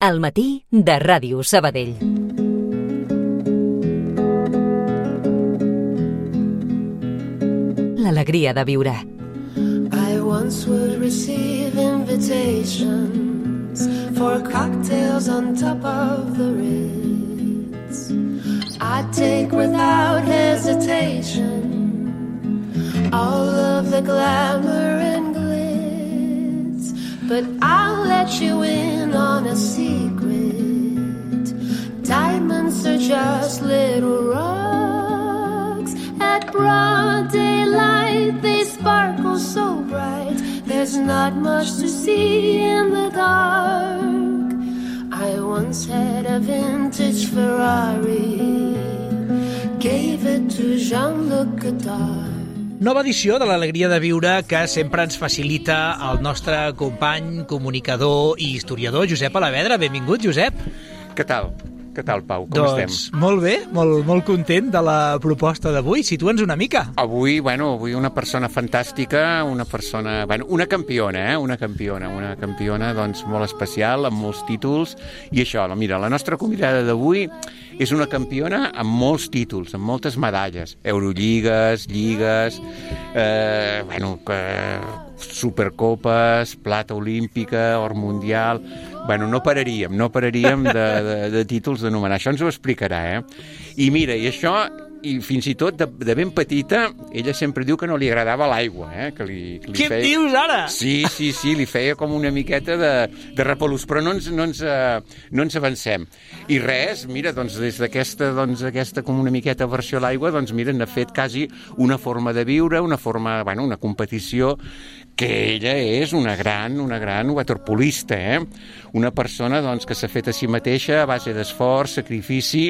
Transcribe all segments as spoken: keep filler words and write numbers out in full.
Al matí de Ràdio Sabadell. L'alegria de viure. I once would receive invitations for cocktails on top of the Ritz. I'd take without hesitation all of the glamour and glitz, but I'll let you in on a secret. Diamonds are just little rocks. At broad daylight they sparkle so bright. There's not much to see in the dark. I once had a vintage Ferrari, gave it to Jean-Luc Godard. Nova edició de l'Alegria de Viure que sempre ens facilita el nostre company, comunicador i historiador, Josep Alavedra. Benvingut, Josep. Què tal? Què tal, Pau? Com doncs, estem? Molt bé, molt, molt content de la proposta d'avui. Situa'ns una mica. Avui, bueno, avui una persona fantàstica, una persona... Bueno, una campiona, eh? Una campiona, una campiona, doncs, molt especial, amb molts títols. I això, mira, la nostra convidada d'avui és una campiona amb molts títols, amb moltes medalles. Eurolligues, lligues, eh, bueno, eh, supercopes, plata olímpica, or mundial... Bueno, no pararíem, no pararíem de, de, de títols d'anomenar. Això ens ho explicarà, eh? I mira, i això, i fins i tot de, de ben petita, ella sempre diu que no li agradava l'aigua, eh? Que li, que li Què feia... em dius ara? Sí, sí, sí, li feia com una miqueta de, de repelús, però no ens, no, ens, uh, no ens avancem. I res, mira, doncs des d'aquesta, doncs, aquesta com una miqueta aversió a l'aigua, doncs mira, n'ha fet quasi una forma de viure, una forma, bueno, una competició, que ella és una gran, una gran waterpolista, eh? Una persona doncs, que s'ha fet a si mateixa a base d'esforç, sacrifici,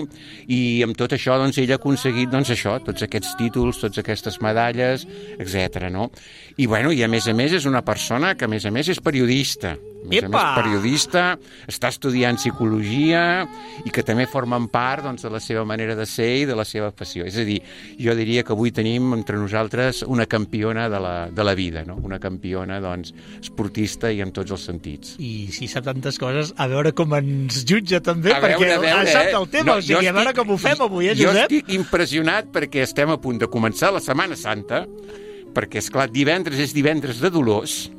i amb tot això doncs, ella ha aconseguit doncs, això, tots aquests títols, totes aquestes medalles, etcètera. No? I, bueno, i a més a més és una persona que a més a més és periodista. A més a més, periodista, està estudiant psicologia i que també formen part doncs, de la seva manera de ser i de la seva passió. És a dir, jo diria que avui tenim entre nosaltres una campiona de la, de la vida, no? Una campiona doncs, esportista i en tots els sentits. I si sap tantes coses, a veure com ens jutja també, a veure, perquè a veure, ha sap el tema, no, o sigui, estic, a veure com ho fem avui, eh, Josep? Jo estic impressionat perquè estem a punt de començar la Setmana Santa, perquè, esclar, divendres és divendres de Dolors,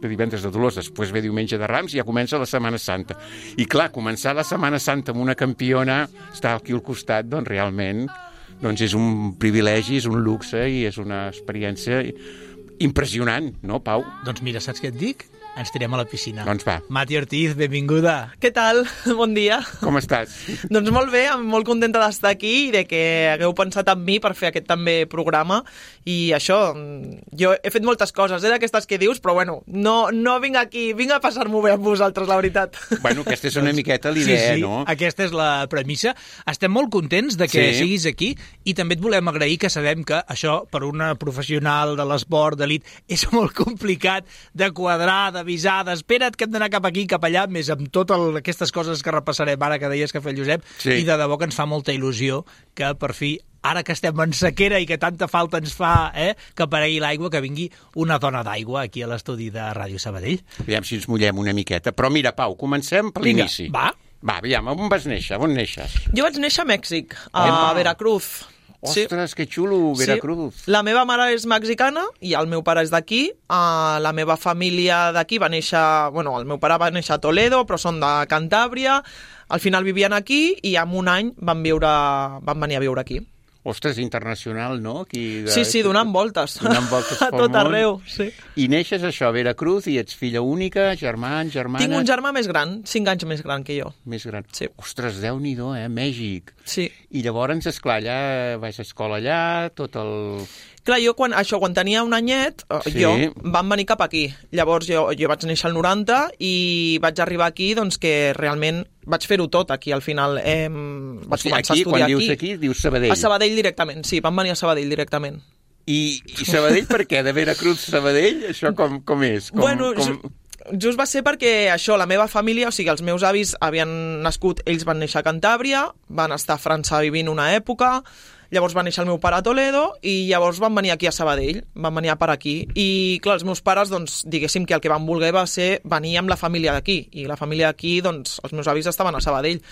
de divendres de Dolors, després ve diumenge de Rams i ja comença la Setmana Santa. I clar, començar la Setmana Santa amb una campiona, estar aquí al costat, doncs realment doncs és un privilegi, és un luxe i és una experiència impressionant, no, Pau? Doncs mira, saps què et dic? Ens tirem a la piscina. Doncs va. Mati Ortiz, benvinguda. Què tal? Bon dia. Com estàs? Doncs molt bé, molt contenta d'estar aquí i de que hagueu pensat en mi per fer aquest també programa. I això, jo he fet moltes coses, eh, d'aquestes que dius, però bueno, no, no vinc aquí, vinc a passar-m'ho bé amb vosaltres, la veritat. Bueno, aquesta és una miqueta l'idea, sí, sí, no? Aquesta és la premissa. Estem molt contents de que sí. siguis aquí i també et volem agrair que sabem que això, per una professional de l'esport d'elit, és molt complicat de quadrar, d'avisar, d'espera't que hem d'anar cap aquí, cap allà, més amb totes aquestes coses que repassarem ara que deies que fa el Josep, sí. I de debò que ens fa molta il·lusió que per fi, ara que estem en sequera i que tanta falta ens fa eh, que aparegui l'aigua, que vingui una dona d'aigua aquí a l'estudi de Ràdio Sabadell. Aviam si ens mullem una miqueta. Però mira, Pau, comencem per l'inici. Va. Va, aviam, on vas néixer? On neixes? Jo vaig néixer a Mèxic, a Epa. Veracruz. Ostres, sí. Que xulo, Veracruz. Sí. La meva mare és mexicana i el meu pare és d'aquí. Uh, la meva família d'aquí va néixer... Bueno, el meu pare va néixer a Toledo, però són de Cantàbria. Al final vivien aquí i en un any van, viure, van venir a viure aquí. Ostres, internacional, no? Aquí de... Sí, sí, donant voltes. Donant voltes a tot arreu, sí. I neixes això, a Veracruz, i ets filla única, germans, germanes... Tinc un germà més gran, cinc anys més gran que jo. Més gran. Sí. Ostres, Déu-n'hi-do, eh? Mèxic. Sí. I llavors, esclar, allà vaig a escola allà, tot el... Clar, jo quan, això, quan tenia un anyet, sí. jo vam venir cap aquí. Llavors jo, jo vaig néixer al noranta i vaig arribar aquí, doncs que realment vaig fer-ho tot aquí al final. Eh, vaig o sigui, començar aquí, a estudiar aquí. Quan dius aquí, aquí, dius Sabadell. A Sabadell directament, sí, vam venir a Sabadell directament. I, i Sabadell per què? De Veracruz a Sabadell? Això com, com és? Com, bueno, com... Jo... Just va ser perquè això, la meva família, o sigui, els meus avis havien nascut, ells van néixer a Cantàbria, van estar a França vivint una època, Llavors va néixer el meu pare a Toledo i llavors van venir aquí a Sabadell, van venir a per aquí. I clar, els meus pares, doncs, diguéssim que el que van voler va ser venir amb la família d'aquí. I la família d'aquí, doncs, els meus avis estaven a Sabadell.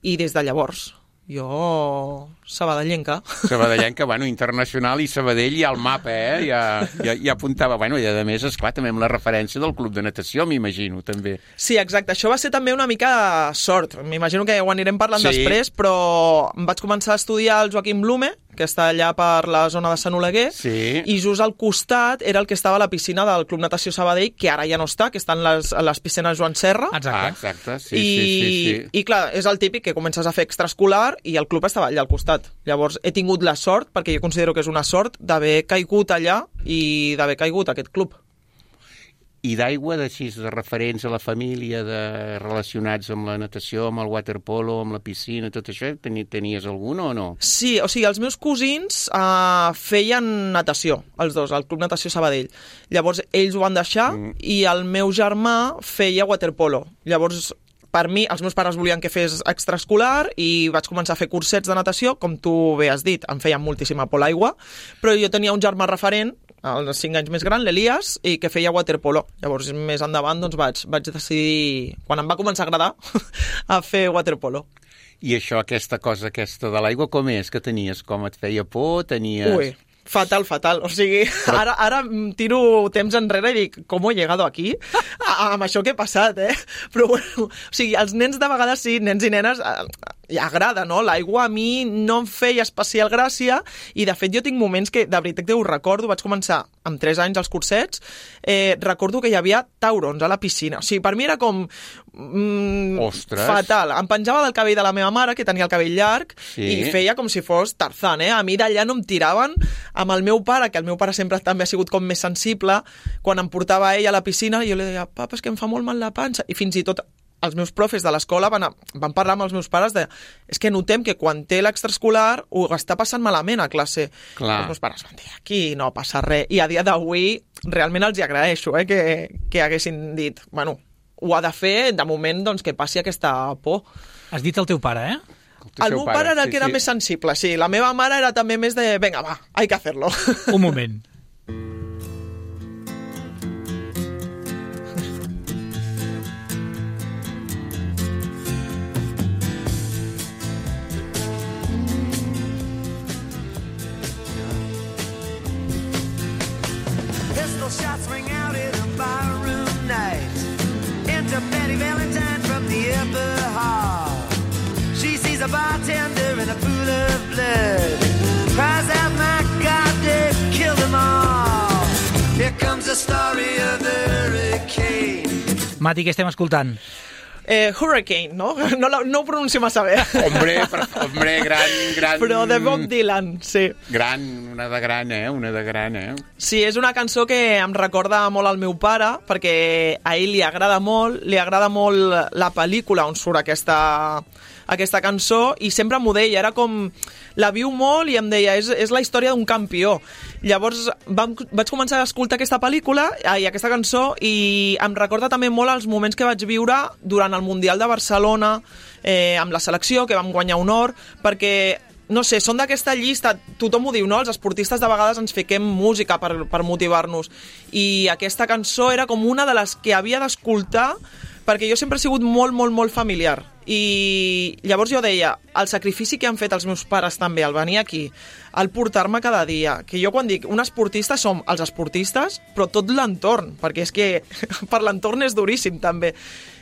I des de llavors, jo... sabadellenca. Sabadellenca, bueno, internacional i Sabadell ja al mapa, eh? Ja, ja, ja apuntava. Bueno, i a més, esclar, també amb la referència del club de natació, m'imagino, també. Sí, exacte. Això va ser també una mica sort. M'imagino que ho anirem parlant sí. després, però em vaig començar a estudiar el Joaquim Blume, que està allà per la zona de Sant Oleguer, sí. i just al costat era el que estava a la piscina del Club Natació Sabadell, que ara ja no està, que estan les, les piscines Joan Serra. Exacte. Ah, exacte, sí, I, sí, sí, sí. I clar, és el típic que comences a fer extraescolar i el club estava allà al costat. Llavors he tingut la sort, perquè jo considero que és una sort, d'haver caigut allà i d'haver caigut a aquest club. I d'aigua, d'així, de referents a la família, de relacionats amb la natació, amb el waterpolo, amb la piscina, tot això, tenies algun o no? Sí, o sigui, els meus cosins uh, feien natació, els dos, al Club Natació Sabadell. Llavors, ells ho van deixar mm. i el meu germà feia waterpolo. Llavors, per mi, els meus pares volien que fes extraescolar i vaig començar a fer cursets de natació, com tu bé has dit, em feien moltíssima por l'aigua, però jo tenia un germà referent, els cinc anys més gran, l'Elias, i que feia waterpolo. Llavors, més endavant, doncs vaig, vaig decidir, quan em va començar a agradar, a fer waterpolo. I això, aquesta cosa aquesta de l'aigua, com és que tenies? Com et feia por? Tenies... Ui, fatal, fatal. O sigui, Però... ara, ara tiro temps enrere i dic, com he llegado aquí? A, amb això que he passat, eh? Però bueno, o sigui, els nens de vegades sí, nens i nenes, i agrada, no? L'aigua a mi no em feia especial gràcia i, de fet, jo tinc moments que, de veritat que ho recordo, vaig començar amb tres anys als cursets, eh, recordo que hi havia taurons a la piscina. O sigui, per mi era com... Mm, Ostres! Fatal. Em penjava del cabell de la meva mare, que tenia el cabell llarg, sí. i feia com si fos Tarzan, eh? A mi d'allà no em tiraven. Amb el meu pare, que el meu pare sempre també ha sigut com més sensible, quan em portava ell a la piscina, jo li deia, papa, és que em fa molt mal la panxa. I fins i tot els meus profes de l'escola van, a, van parlar amb els meus pares de és que notem que quan té l'extraescolar ho està passant malament a classe. Clar. Els meus pares van dir, aquí no passa res. I a dia d'avui realment els hi agraeixo eh, que, que haguessin dit, bueno, ho ha de fer, de moment, doncs, que passi aquesta por. Has dit el teu pare, eh? El, el meu pare, pare era el sí, que era sí. més sensible, sí. La meva mare era també més de, venga, va, hay que hacerlo. Un moment. Pistol shots ring out in a barroom night. Enter Betty Valentine from the upper hall. She sees a bartender in a pool of blood. Cries out, my God, they've killed them all. Here comes the story of the hurricane. Mati, què estem escoltant? Eh, Hurricane, no? No, no ho pronuncio massa bé. Hombre, per, hombre, gran, gran... Però de Bob Dylan, sí. Gran, una de gran, eh? Una de gran, eh? Sí, és una cançó que em recorda molt al meu pare, perquè a ell li agrada molt, li agrada molt la pel·lícula on surt aquesta, aquesta cançó, i sempre m'ho deia, era com... La viu molt i em deia, és, és la història d'un campió. Llavors vam, vaig començar a escoltar aquesta pel·lícula i aquesta cançó i em recorda també molt els moments que vaig viure durant el Mundial de Barcelona, eh, amb la selecció, que vam guanyar un or, perquè, no sé, són d'aquesta llista, tothom ho diu, no? Els esportistes de vegades ens fiquem música per, per motivar-nos. I aquesta cançó era com una de les que havia d'escoltar perquè jo sempre he sigut molt, molt, molt familiar. I llavors jo deia, el sacrifici que han fet els meus pares també al venir aquí, al portar-me cada dia, que jo quan dic un esportista som els esportistes, però tot l'entorn, perquè és que per l'entorn és duríssim també.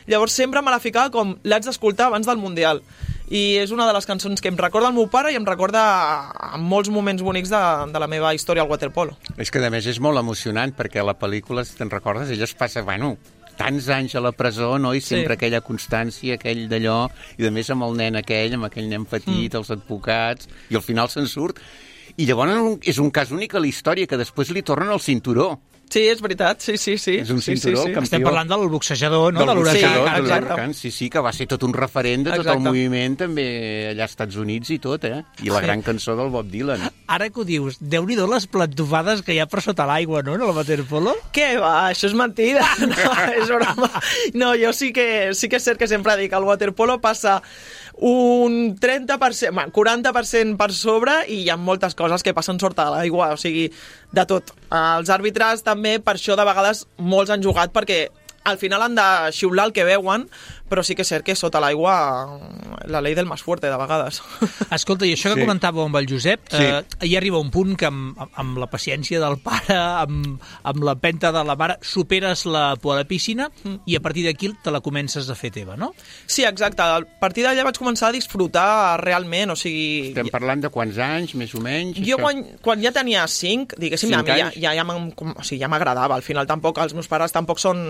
Llavors sempre me la ficava com l'haig d'escoltar abans del Mundial. I és una de les cançons que em recorda el meu pare i em recorda a molts moments bonics de, de la meva història al waterpolo. És que a més és molt emocionant perquè la pel·lícula, si te'n recordes, ella es passa, bueno, tants anys a la presó, no? I sempre sí. Aquella constància, aquell d'allò, i a més amb el nen aquell, amb aquell nen petit, mm. els advocats, i al final se'n surt. I llavors és un cas únic a la història, que després li tornen el cinturó. Sí, és veritat, sí, sí, sí. És un sí, cinturó, sí, sí. campió. Estem parlant del boxejador, no? Del de l'huracà. boxejador, Sí, de exacte. l'huracà, sí, sí, que va ser tot un referent de tot Exacte. el moviment, també allà als Estats Units i tot, eh? I la gran cançó del Bob Dylan. Ara que ho dius, déu-n'hi-do les plantofades que hi ha per sota l'aigua, no?, en el waterpolo. Què va? Això és mentida. No, és broma. No, jo sí que, sí que és cert que sempre dic que el waterpolo passa un trenta per cent, bueno, quaranta per cent per sobre i hi ha moltes coses que passen sota l'aigua, o sigui, de tot. Els àrbitres també, per això de vegades molts han jugat perquè al final han de xiular el que veuen, però sí que és cert que sota l'aigua la llei del més fuerte, de vegades. Escolta, i això que Sí. comentàveu amb el Josep, Sí. eh, hi arriba un punt que amb, amb la paciència del pare, amb, amb l'empenta de la mare, superes la por a la piscina i a partir d'aquí te la comences a fer teva, no? Sí, exacte. A partir d'allà vaig començar a disfrutar realment, o sigui... Estem parlant de quants anys, més o menys? Jo això? quan, quan ja tenia cinc, diguéssim, Cinc a mi ja, anys? ja, ja, m'em- com- o sigui, ja m'agradava. Al final tampoc, els meus pares tampoc són,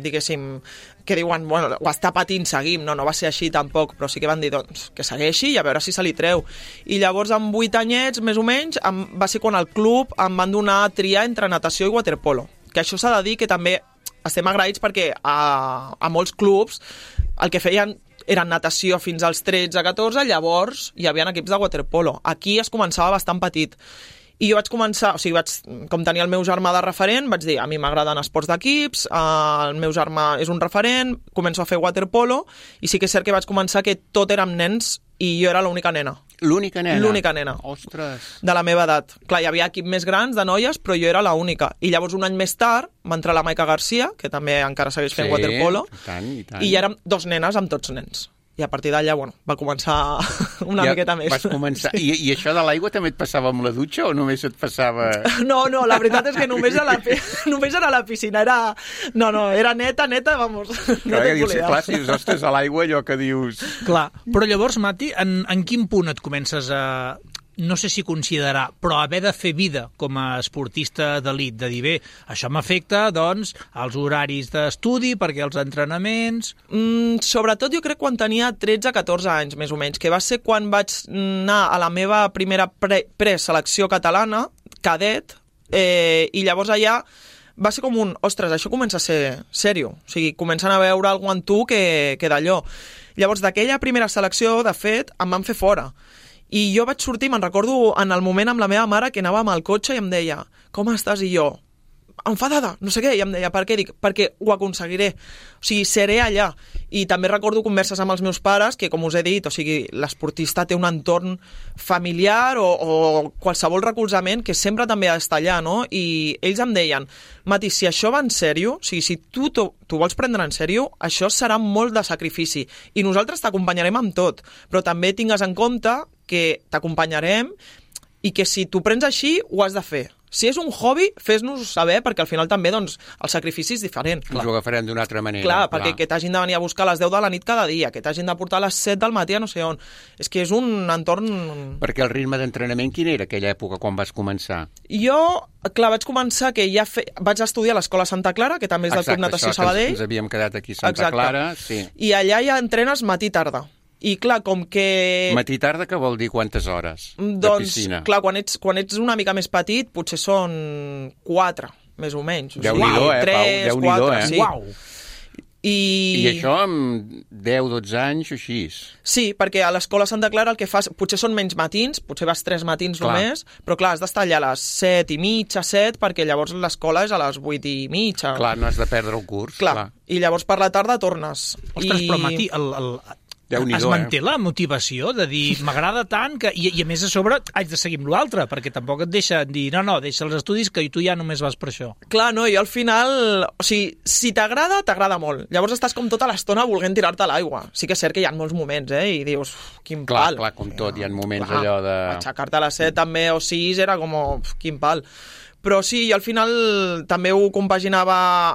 diguéssim, que diuen, bueno, ho està patint, seguim. No, no va ser així tampoc, però sí que van dir, doncs, que segueixi i a veure si se li treu. I llavors, amb vuit anyets, més o menys, em, va ser quan al club em van donar a triar entre natació i waterpolo. Que això s'ha de dir que també estem agraïts perquè a, a molts clubs el que feien eren natació fins als tretze a catorze, llavors hi havia equips de waterpolo. Aquí es començava bastant petit. I jo vaig començar, o sigui, vaig, com tenia el meu germà de referent, vaig dir, a mi m'agraden esports d'equips, eh, el meu germà és un referent, començo a fer waterpolo, i sí que és cert que vaig començar que tot érem nens i jo era l'única nena. L'única nena? L'única nena. Ostres! De la meva edat. Clar, hi havia equip més grans de noies, però jo era l'única. I llavors, un any més tard, va entrar la Maica Garcia, que també encara segueix fent Sí, waterpolo, i tant, i tant. i ja érem dos nenes amb tots nens. I a partir d'allà, bueno, va començar una Ja miqueta més. Vas començar. I, I això de l'aigua també et passava amb la dutxa o només et passava... No, no, la veritat és que només a la, pi- només era a la piscina, era... No, no, era neta, neta, vamos, no Clar, te dius, volia. clar, si dius, ostres, a l'aigua allò que dius... Clar, però llavors, Mati, en, en quin punt et comences a... no sé si considerar, però haver de fer vida com a esportista d'elit, de dir, bé, això m'afecta, doncs, als horaris d'estudi, perquè els entrenaments... Mm, sobretot jo crec quan tenia tretze a catorze anys, més o menys, que va ser quan vaig anar a la meva primera pre preselecció catalana, cadet, eh, i llavors allà va ser com un, ostres, això comença a ser sèrio, o sigui, comencen a veure alguna en tu que, que d'allò. Llavors, d'aquella primera selecció, de fet, em van fer fora. I jo vaig sortir, me'n recordo en el moment amb la meva mare que anàvem al cotxe i em deia, com estàs? I jo, enfadada, no sé què, i em deia, per què? Dic, perquè ho aconseguiré, o sigui, seré allà. I també recordo converses amb els meus pares que, com us he dit, o sigui, l'esportista té un entorn familiar o, o qualsevol recolzament que sempre també ha d'estar allà, no? I ells em deien, Mati, si això va en sèrio, o sigui, si tu t'ho vols prendre en sèrio, això serà molt de sacrifici i nosaltres t'acompanyarem amb tot, però també tingues en compte que t'acompanyarem i que si t'ho prens així, ho has de fer. Si és un hobby, fes-nos saber, perquè al final també doncs, el sacrifici és diferent. Us ho agafarem d'una altra manera. Clar, perquè que t'hagin de venir a buscar a les deu de la nit cada dia, que t'hagin de portar a les set del matí a no sé on. És que és un entorn... Perquè el ritme d'entrenament, quin era aquella època quan vas començar? Jo, clar, vaig començar que ja fe... vaig estudiar a l'Escola Santa Clara, que també és del Exacte, Club Natació això, que Sabadell. ens, ens havíem quedat aquí a Santa Exacte. Clara. Sí. I allà ja entrenes matí-tarda. I clar, com que... Matí-tarda, què vol dir quantes hores de Doncs, piscina? clar, quan ets, quan ets una mica més petit, potser són quatre, més o menys. O sigui, Déu-n'hi-do, eh, Pau? tres, Déu-n'hi-do, quatre, eh? sí. Uau! I... I això amb deu dotze anys o així? Sí, perquè a l'Escola Santa Clara el que fas, potser són menys matins, potser vas tres matins Clar. només, però clar, has d'estar allà a les set i mitja, set, perquè llavors l'escola és a les vuit i mitja. Clar, no has de perdre el curs. Clar. clar. I llavors per la tarda tornes. Ostres, I... però Mati, el, el, Déu-n'hi-do, es manté eh? la motivació de dir, m'agrada tant, que, i, i a més a sobre haig de seguir amb l'altre, perquè tampoc et deixen dir, no, no, deixa els estudis que tu ja només vas per això. Clar, no, i al final, o sigui, si t'agrada, t'agrada molt. Llavors estàs com tota l'estona volent tirar-te a l'aigua. Sí que és cert que hi ha molts moments, eh, i dius, uf, quin Clar, pal. clar, com tot, hi ha moments Clar, allò de... Aixecar-te a les set també o sis era com, uf, quin pal. Però sí, i al final també ho compaginava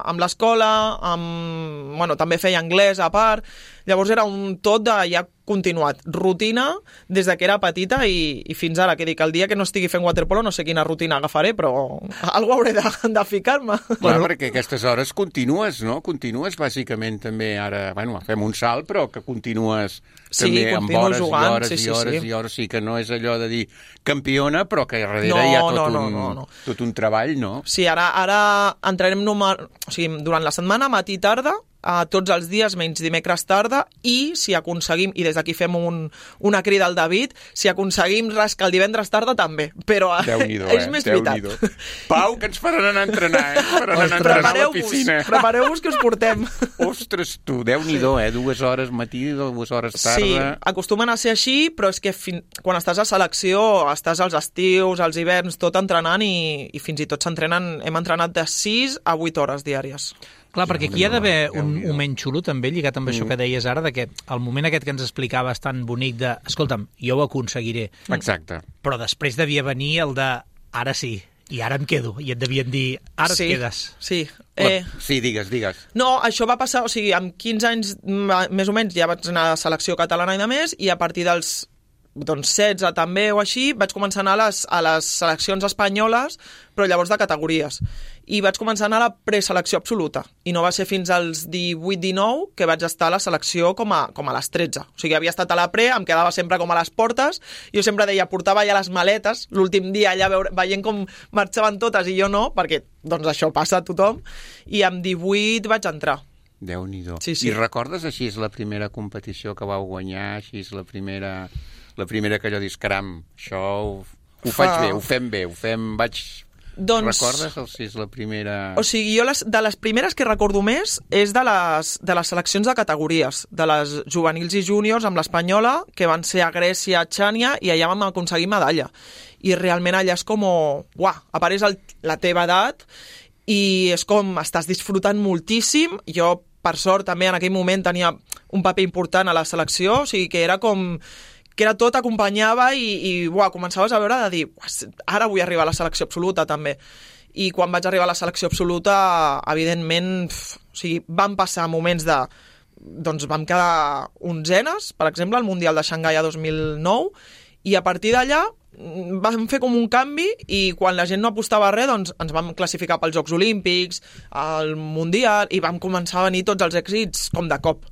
amb l'escola, amb... bueno, també feia anglès a part, llavors era un tot de ja continuat. Rutina des de que era petita i, i fins ara, que dic, el dia que no estigui fent waterpolo no sé quina rutina agafaré, però alguna hauré de, de ficar-me. Clar, perquè aquestes hores continues, no? Continues bàsicament també ara, bueno, fem un salt, però que continues sí, també amb hores jugant, i hores sí, i sí, hores sí. i hores, sí que no és allò de dir campiona, però que darrere no, hi ha tot, no, no, un, no, no. tot un treball, no? Sí, ara, ara entrarem número, o sigui, durant la setmana, matí i tarda, a tots els dies, menys dimecres tarda, i si aconseguim, i des d'aquí fem un, una crida al David, si aconseguim rascar el divendres tarda també, però Déu-n'hi-do, és eh? més Déu-n'hi-do. veritat. Pau, que ens faran anar a entrenar, eh? Ens faran anar a entrenar a la piscina. Prepareu-vos que us portem. Ostres, tu, Déu-n'hi-do, eh? Dues hores matí, dues hores tarda. Sí, acostumen a ser així, però és que fin... quan estàs a selecció, estàs als estius, als hiverns, tot entrenant i, i fins i tot s'entrenen, hem entrenat de sis a vuit hores diàries. Clar, perquè aquí hi ha d'haver un moment xulo també, lligat amb això que deies ara, de que el moment aquest que ens explicaves tan bonic de, escolta'm, jo ho aconseguiré. Exacte. Però després devia venir el de, ara sí, i ara em quedo. I et devien dir, ara sí, et quedes. Sí, eh... Sí, digues, digues. No, això va passar, o sigui, amb quinze anys més o menys ja vaig anar a la selecció catalana i de més, i a partir dels doncs setze també o així, vaig començar a anar a les, a les seleccions espanyoles, però llavors de categories. I vaig començar a anar a la preselecció absoluta. I no va ser fins als divuit dinou que vaig estar a la selecció com a, com a les tretze. O sigui, havia estat a la pre, em quedava sempre com a les portes, jo sempre deia, portava ja les maletes, l'últim dia allà veure, veient com marxaven totes i jo no, perquè doncs això passa a tothom, i amb divuit vaig entrar. Déu-n'hi-do. Sí, sí. I recordes així és la primera competició que vau guanyar, així és la primera... La primera que allò dius, caram, això ho, ho Fa... faig bé, ho fem bé, ho fem... Vaig... Doncs... Recordes el, si és la primera... O sigui, jo les, de les primeres que recordo més és de les, de les seleccions de categories, de les juvenils i júniors amb l'Espanyola, que van ser a Grècia, a Xània, i allà vam aconseguir medalla. I realment allà és com... Uah, a part és el, la teva edat i és com estàs disfrutant moltíssim. Jo, per sort, també en aquell moment tenia un paper important a la selecció, o sigui que era com... que era tot, acompanyava i, i uah, començaves a veure de dir, ara vull arribar a la selecció absoluta també. I quan vaig arribar a la selecció absoluta, evidentment, pf, o sigui, van passar moments de... Doncs vam quedar onzenes, per exemple, al Mundial de Xangai a dos mil nou, i a partir d'allà vam fer com un canvi i quan la gent no apostava res, doncs ens vam classificar pels Jocs Olímpics, al Mundial, i vam començar a venir tots els èxits com de cop.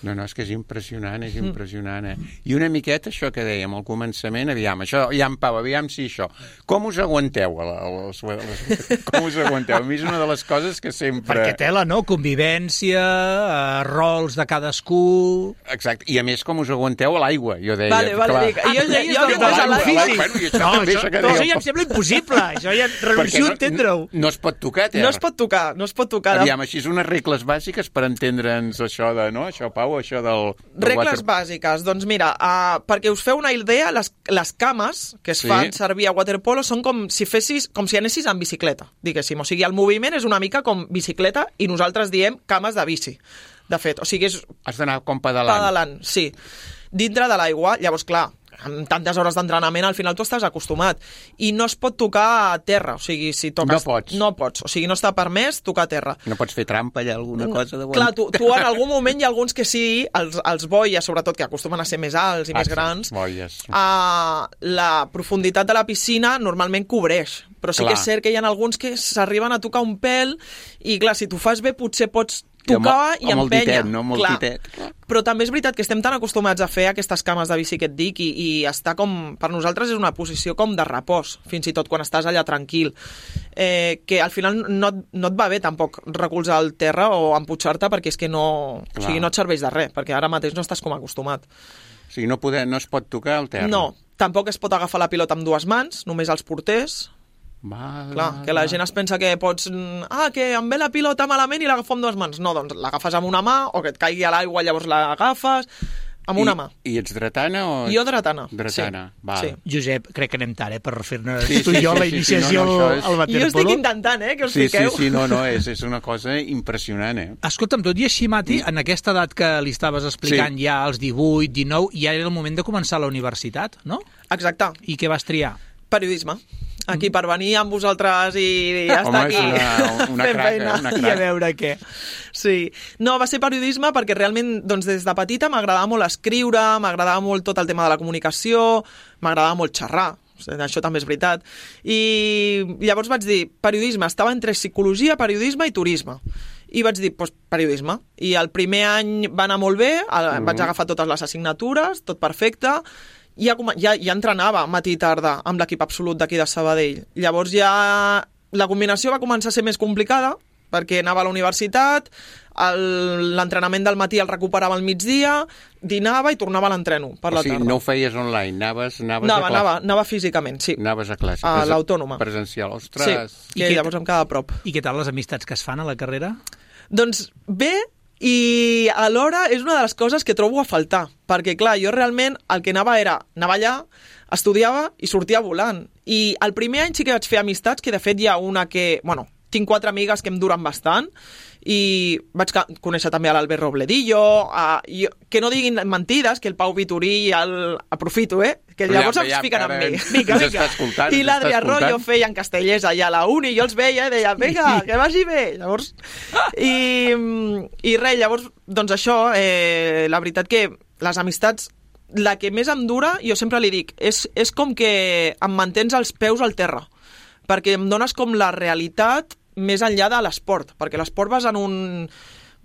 No, no, és que és impressionant, és impressionant, eh? I una miqueta això que dèiem al començament, aviam, això, ja en Pau, aviam si això. Com us aguanteu? A la, a les, a les, com us aguanteu? A mi és una de les coses que sempre... Perquè tela, no? Convivència, eh, rols de cadascú... Exacte, i a més com us aguanteu a l'aigua, jo deia. Vale, vale, clar. dic, jo, jo, jo, jo, de jo, l'aigua. Bueno, i això No, també, això, això que no, dèieu. això ja em sembla impossible. Això ja renuncio no, a entendre-ho. no es pot tocar, terra. no es pot tocar, no es pot tocar. Aviam, així és unes regles bàsiques per entendre'ns això de, no? Això, Pau, això del... del Regles water... bàsiques, doncs mira, uh, perquè us feu una idea, les, les cames que es Sí. fan servir a waterpolo són com si fessis, com si anessis en bicicleta, diguéssim. O sigui, el moviment és una mica com bicicleta i nosaltres diem cames de bici. De fet, o sigui, és Has d'anar com pedalant. pedalant, sí. Dintre de l'aigua, llavors, clar, amb tantes hores d'entrenament, al final tu estàs acostumat. I no es pot tocar a terra, o sigui, si toques... No pots. No pots, o sigui, no està permès tocar a terra. No pots fer trampa allà, alguna cosa de... Clar, tu, tu en algun moment hi ha alguns que sí, els, els boies, sobretot, que acostumen a ser més alts i Ah, més sí, grans, boies. uh, la profunditat de la piscina normalment cobreix. Però sí Clar. que és cert que hi ha alguns que s'arriben a tocar un pèl i, clar, si tu fas bé, potser pots I amb- tocar i amb el empènyer. ditet, no? Amb el Clar. ditet. Però també és veritat que estem tan acostumats a fer aquestes cames de bici que et dic i, i està com... Per nosaltres és una posició com de repòs, fins i tot quan estàs allà tranquil. Eh, que al final no, et- no et va bé tampoc recolzar el terra o empujar-te perquè és que no... O sigui, no et serveix de res, perquè ara mateix no estàs com acostumat. O sigui, no, poder, no es pot tocar al terra. No, tampoc es pot agafar la pilota amb dues mans, només els porters. Va, Clar, va, que la va. gent es pensa que pots... Ah, que em ve la pilota malament i l'agafo amb dues mans. No, doncs l'agafes amb una mà o que et caigui a l'aigua llavors l'agafes amb una I, mà. I ets dretana o... Jo dretana. Dretana, sí. val. Sí. Josep, crec que anem tard, eh, per fer-ne Sí, tu sí, i jo sí, la sí, sí, iniciació no, no, això és- al Jo waterpolo. estic intentant, eh, que us Sí, sí, fiqueu. sí, no, no, és, és una cosa impressionant, eh? Escolta'm, tot i així, Mati, en aquesta edat que li estaves explicant, ja als divuit, dinou, ja era el moment de començar la universitat, no? Exacte. I què vas triar? Periodisme. Aquí per venir amb vosaltres i, i estar Home, aquí una, una fent craca, feina. una I a craca. veure què. Sí. No, va ser periodisme perquè realment doncs, des de petita m'agradava molt escriure, m'agradava molt tot el tema de la comunicació, m'agradava molt xerrar. Això també és veritat. I llavors vaig dir, periodisme, estava entre psicologia, periodisme i turisme. I vaig dir, doncs, periodisme. I el primer any va anar molt bé, el, vaig agafar totes les assignatures, tot perfecte, i ja, ja, ja entrenava matí i tarda amb l'equip absolut d'aquí de Sabadell. Llavors ja la combinació va començar a ser més complicada, perquè anava a la universitat, l'entrenament del matí el recuperava al migdia, dinava i tornava a l'entreno per la o sigui, tarda. no ho feies online, anaves, anaves Anava, a classe. anava, anava físicament, sí. Anaves a classe. A Presen- l'Autònoma. Presencial. Sí, Ostres! I que què- llavors em quedava a prop. I què tal les amistats que es fan a la carrera? Doncs bé, i alhora és una de les coses que trobo a faltar, perquè clar, jo realment el que anava era, anava allà, estudiava i sortia volant. I el primer any sí que vaig fer amistats, que de fet hi ha una que, bueno, tinc quatre amigues que em duren bastant, i vaig conèixer també a l'Albert Robledillo, a, i, que no diguin mentides, que el Pau Vitorí el aprofito, eh? Que llavors Ja, em ja, fiquen ara amb mi. ens Vinga, està vinga. escoltant, I ens l'Adrià està escoltant. Royo feia en castellers allà a la uni, i jo els veia i deia, vinga, que vagi bé. Llavors, i, i res, llavors, doncs això, eh, la veritat que les amistats, la que més em dura, jo sempre li dic, és, és com que em mantens els peus al terra, perquè em dones com la realitat més enllà de l'esport, perquè l'esport vas en un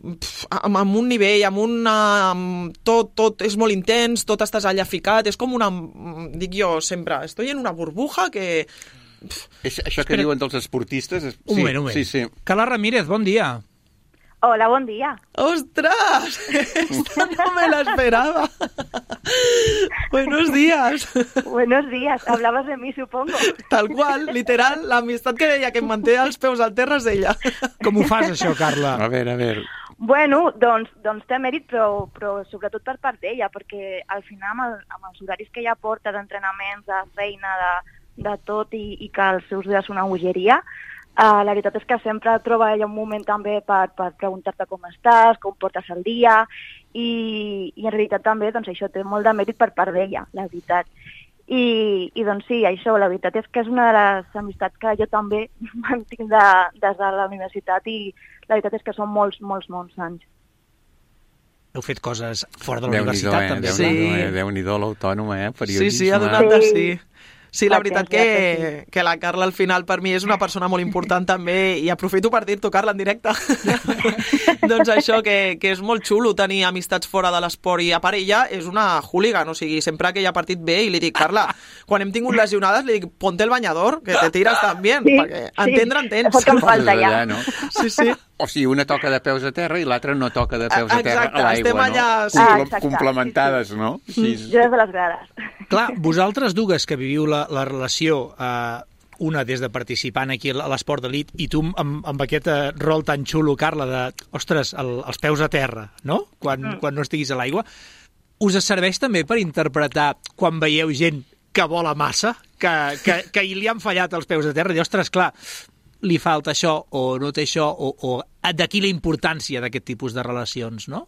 pf, amb, amb un nivell, amb una amb tot, tot és molt intens, tot estàs allà ficat, és com una, dic jo sempre, estoy en una burbuja que pf, És, això que Espera. diuen dels esportistes... És... Un sí, moment, un moment. Sí, sí. Carla Ramírez, bon dia. Hola, bon dia. ¡ostras! Esto no me la esperaba. Buenos días. Buenos días. Hablabas de mí, supongo. Tal qual, literal, l'amistat que deia que em manté els peus al terra és ella. Com ho fas, això, Carla? A veure, a veure... Bueno, doncs, doncs té mèrit, però, però sobretot per part d'ella, perquè al final amb, el, amb els horaris que ella porta d'entrenaments, de feina, de, de tot, i, i que els seus dies són una bogeria, Uh, la veritat és que sempre troba ella un moment també per, per preguntar-te com estàs, com portes el dia, i, i en realitat també doncs, això té molt de mèrit per part d'ella, la veritat. I, I doncs sí, això, la veritat és que és una de les amistats que jo també mantinc de, des de la universitat, i la veritat és que són molts, molts, molts anys. Heu fet coses fora de la Déu-n'hi-do, universitat, eh? també. Sí. Déu-n'hi-do, eh? Déu-n'hi-do l'autònoma, eh? Sí, Periodisme. sí, ha donat de Sí. sí. Sí, la veritat Gràcies, que, gràcies. que la Carla al final per mi és una persona molt important també, i aprofito per dir-t'ho, Carla, en directe. Doncs això, que, que és molt xulo tenir amistats fora de l'esport, i a part ella és una hooligan, o sigui, sempre que hi ha partit bé, i li dic, Carla, quan hem tingut lesionades, li dic, ponte el bañador, que te tiras també, Sí, perquè sí. entendre entens. És el que em falta ja. Allà, no? Sí, sí. O sigui, una toca de peus a terra i l'altra no toca de peus a terra Exacte, a l'aigua, estem no? allà, sí. Ah, Comple- exacte, complementades, no? Sí, sí. Jo des de les grades. Clar, vosaltres dues que viviu la, la relació, eh, una des de participant aquí a l'esport d'elit i tu amb, amb aquest eh, rol tan xulo, Carla, de, ostres, el, els peus a terra, no? Quan, mm. quan no estiguis a l'aigua, us serveix també per interpretar quan veieu gent que vola massa, que, que, que li han fallat els peus a terra, i ostres, clar, li falta això, o no té això, o, o d'aquí la importància d'aquest tipus de relacions, no?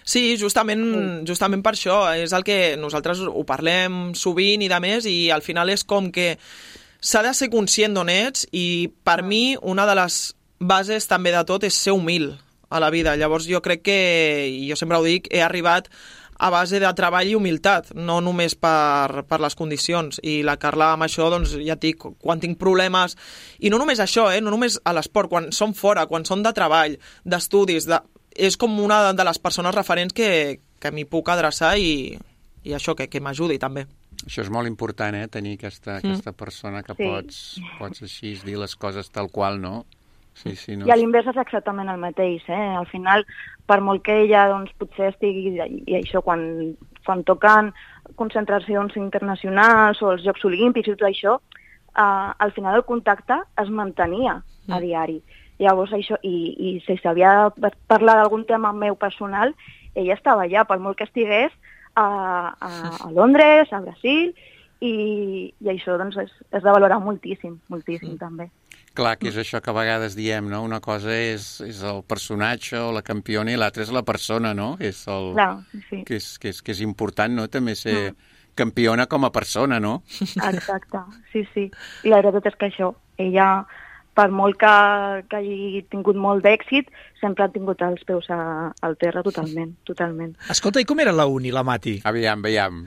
Sí, justament, justament per això. És el que nosaltres ho parlem sovint i de més, i al final és com que s'ha de ser conscient d'on ets, i per mi una de les bases també de tot és ser humil a la vida. Llavors jo crec que, i jo sempre ho dic, he arribat a base de treball i humilitat, no només per, per les condicions. I la Carla amb això, doncs, ja et dic, quan tinc problemes, i no només això, eh, no només a l'esport, quan són fora, quan són de treball, d'estudis, de... és com una de les persones referents que, que m'hi puc adreçar, i, i això, que, que m'ajudi també. Això és molt important, eh? Tenir aquesta, aquesta persona que Sí. pots, pots així dir les coses tal qual, no? Sí, sí, no. I a l'invers és exactament el mateix, eh? Al final, per molt que ella doncs, potser estigui, i això, quan, quan toquen concentracions internacionals o els Jocs Olímpics i tot això, eh, al final el contacte es mantenia a diari. Llavors, això, i, i si s'havia de parlar d'algun tema meu personal, ella estava allà, per molt que estigués a, a, a Londres, a Brasil, i, i això doncs, és, és de valorar moltíssim, moltíssim mm. també. Clar, que és això que a vegades diem, no? Una cosa és, és el personatge o la campiona i l'altra és la persona, no? És el... Clar, sí. Que és, que, és, que és important, no? També ser, mm. campiona com a persona, no? Exacte, sí, sí. I la veritat és que això, ella, per molt que, que hagi tingut molt d'èxit, sempre ha tingut els peus a, al terra totalment, totalment. Escolta, i com era la uni, la Mati? Aviam, aviam.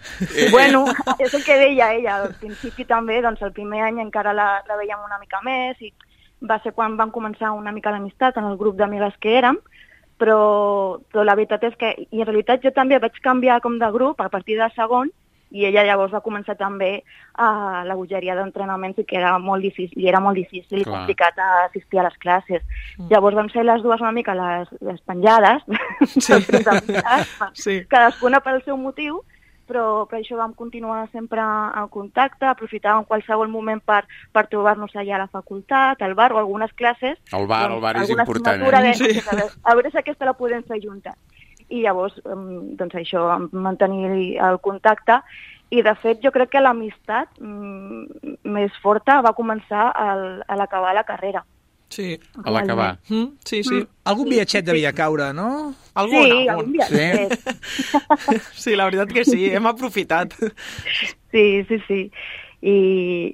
Bueno, és el que deia ella. Al principi també, doncs el primer any encara la, la veiem una mica més i va ser quan vam començar una mica l'amistat en el grup d'amigues que érem, però, però la veritat és que, i en realitat jo també vaig canviar com de grup a partir de segon, i ella llavors va començar també a la bogeria d'entrenaments i que era molt difícil, i era molt difícil i complicat assistir a les classes. Mm. Llavors vam ser les dues una mica les, les penjades, sí. sí. cadascuna pel seu motiu, però per això vam continuar sempre en contacte, aprofitar en qualsevol moment per, per trobar-nos allà a la facultat, al bar o algunes classes. El bar, doncs, el bar és important. Eh? De, sí. a, veure, a veure si aquesta la podem fer juntes. I llavors, doncs això, mantenir el contacte. I, de fet, jo crec que l'amistat mm, més forta va començar al, a l'acabar la carrera. Sí. A l'acabar. Mm, sí, sí. Mm. Algun viatget sí, devia caure, no? Algun, sí, algun. algun viatget. Sí? Sí, la veritat que sí, hem aprofitat. Sí, sí, sí. I,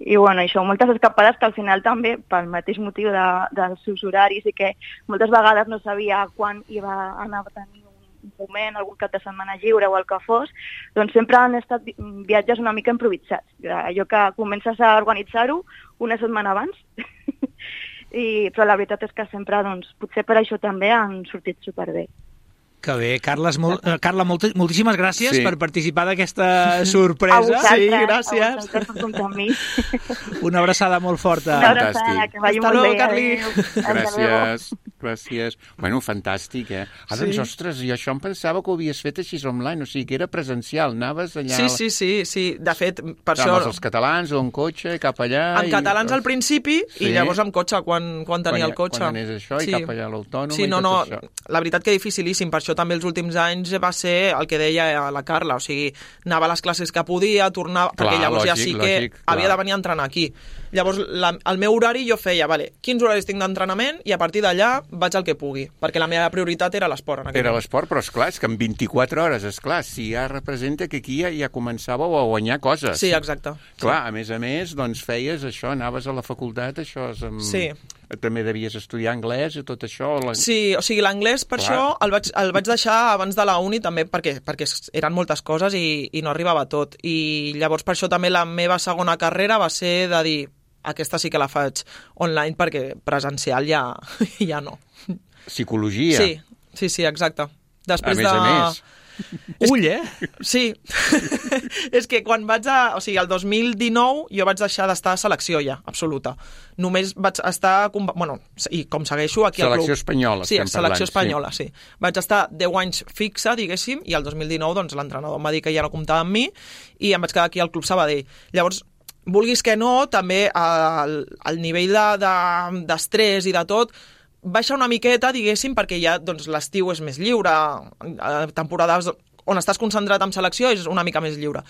i bueno, això, moltes escapades que al final també, pel mateix motiu de, dels seus horaris i que moltes vegades no sabia quan iba a anar a tenir un moment, algun cap de setmana lliure o el que fos, doncs sempre han estat viatges una mica improvisats. Allò que comences a organitzar-ho una setmana abans, I, però la veritat és que sempre, doncs, potser per això també han sortit superbé. Que bé. Carles, molt, eh, Carla, molt, moltíssimes gràcies sí. per participar d'aquesta sorpresa. Sí, gràcies. Una abraçada molt forta. Una abraçada, que vagi molt bé. Carli. Gràcies, gràcies. Bueno, fantàstic, eh? Ah, doncs, sí. ostres, i això em pensava que ho havies fet així online, o sigui, que era presencial, anaves allà... Sí, sí, sí, sí. De fet, per això... això... Amb els catalans o en cotxe, cap allà... En i... catalans al principi, sí. i llavors amb cotxe, quan, quan tenia quan, el cotxe. Quan anés això, sí. i cap allà a l'autònoma sí, no, i tot no, això. La veritat que dificilíssim, per això també els últims anys va ser el que deia la Carla, o sigui, anava a les classes que podia, tornava, clar, perquè llavors lògic, ja sí que lògic, havia de venir a entrenar aquí. Llavors, la, el meu horari jo feia, vale, quins horaris tinc d'entrenament i a partir d'allà vaig al que pugui, perquè la meva prioritat era l'esport. Era l'esport, però esclar, és que en vint-i-quatre hores, esclar, si ja representa que aquí ja, ja començàveu a guanyar coses. Sí, exacte. Clar, sí. a més a més, doncs feies això, anaves a la facultat, això és... Amb... Sí. També devies estudiar anglès i tot això? La... Sí, o sigui, l'anglès per Clar. Això el vaig, el vaig deixar abans de la uni també perquè, perquè eren moltes coses i, i no arribava a tot. I llavors per això també la meva segona carrera va ser de dir aquesta sí que la faig online perquè presencial ja, ja no. Psicologia. Sí, sí, sí, exacte. Després a més de... a més. Ull, eh? Sí. És que quan vaig a... O sigui, el dos mil dinou jo vaig deixar d'estar a selecció ja, absoluta. Només vaig estar... Bueno, i com segueixo aquí al club... Selecció espanyola, sí, estem selecció parlant, espanyola, sí. sí. Vaig estar deu anys fixa, diguéssim, i el dos mil dinou doncs, l'entrenador em va dir que ja no comptava amb mi i em vaig quedar aquí al Club Sabadell. Llavors, vulguis que no, també el, el nivell d'estrès de, de i de tot baixa una miqueta, diguéssim, perquè ja doncs, l'estiu és més lliure, temporades on estàs concentrat en selecció és una mica més lliure.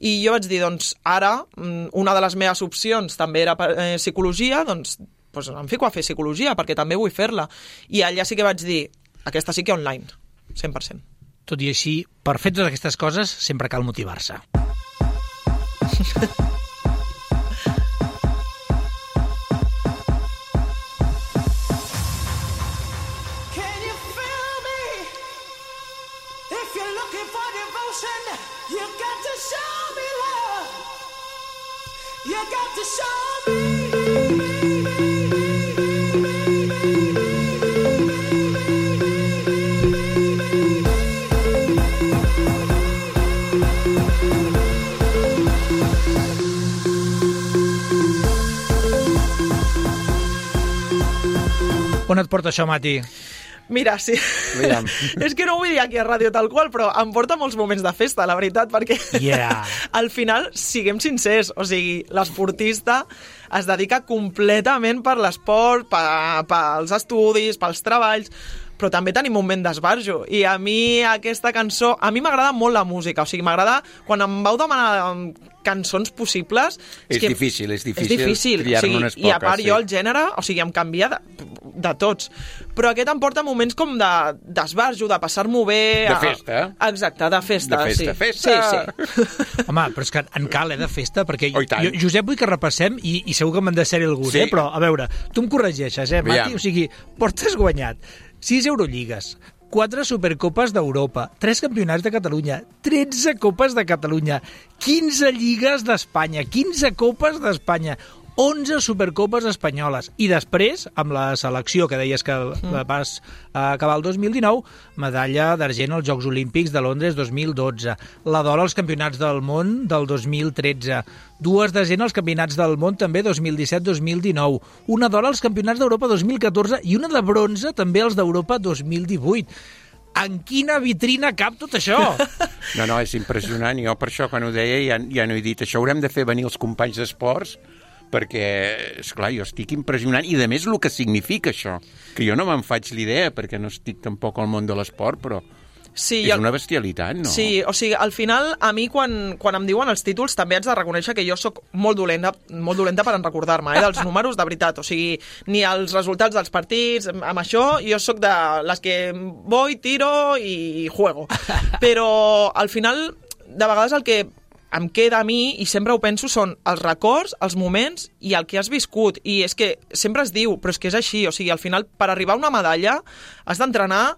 I jo vaig dir, doncs, ara, una de les meves opcions també era eh, psicologia, doncs, doncs em fico a fer psicologia, perquè també vull fer-la. I allà sí que vaig dir, aquesta sí que online, cent per cent. Tot i així, per fer totes aquestes coses, sempre cal motivar-se. On et porta això, Mati? Mira, sí. És que no ho vull dir aquí a ràdio tal qual, però em porta molts moments de festa, la veritat, perquè yeah. al final, siguem sincers, o sigui, l'esportista es dedica completament per l'esport, pels estudis, pels treballs, però també tenim un moment d'esbarjo, i a mi aquesta cançó, a mi m'agrada molt la música, o sigui, m'agrada, quan em vau demanar cançons possibles... És, és que difícil, és difícil, és difícil. triar-ne o sigui, unes poques. I a part sí. jo el gènere, o sigui, em canvia de, de tots. Però aquest em porta moments com d'esbarjo, de, de passar-m'ho bé... De festa. A... Exacte, de festa, de festa, sí. Festa. Sí, sí. Home, però és que en cal, eh, de festa, perquè oh, jo, Josep, vull que repassem, i, i segur que m'han de ser algun, sí. eh, però, a veure, tu em corregeixes, eh, Mati? O sigui, portes guanyat sis Eurolligues, quatre Supercopes d'Europa, tres Campionats de Catalunya, tretze Copes de Catalunya, quinze Lligues d'Espanya, quinze Copes d'Espanya, onze Supercopes espanyoles. I després, amb la selecció, que deies que vas acabar el dos mil dinou, medalla d'argent als Jocs Olímpics de Londres dos mil dotze, la d'or als Campionats del món del dos mil tretze, dues d'argent als Campionats del món també dos mil disset dos mil dinou, una d'or als Campionats d'Europa dos mil catorze i una de bronze també als d'Europa dos mil divuit. En quina vitrina cap tot això? No, no, és impressionant. Jo per això, quan ho deia, ja, ja no he dit això. Haurem de fer venir els companys d'esports perquè, esclar, jo estic impressionant, i de més el que significa això, que jo no me'n faig l'idea, perquè no estic tampoc al món de l'esport, però sí, és el... una bestialitat, no? Sí, o sigui, al final, a mi, quan, quan em diuen els títols, també haig de reconèixer que jo sóc molt dolenta, molt dolenta per en recordar-me, eh, dels números, de veritat, o sigui, ni els resultats dels partits, amb això, jo sóc de les que voy, tiro i juego. Però, al final, de vegades el que em queda a mi, i sempre ho penso, són els records, els moments i el que has viscut. I és que sempre es diu, però és que és així. O sigui, al final, per arribar a una medalla, has d'entrenar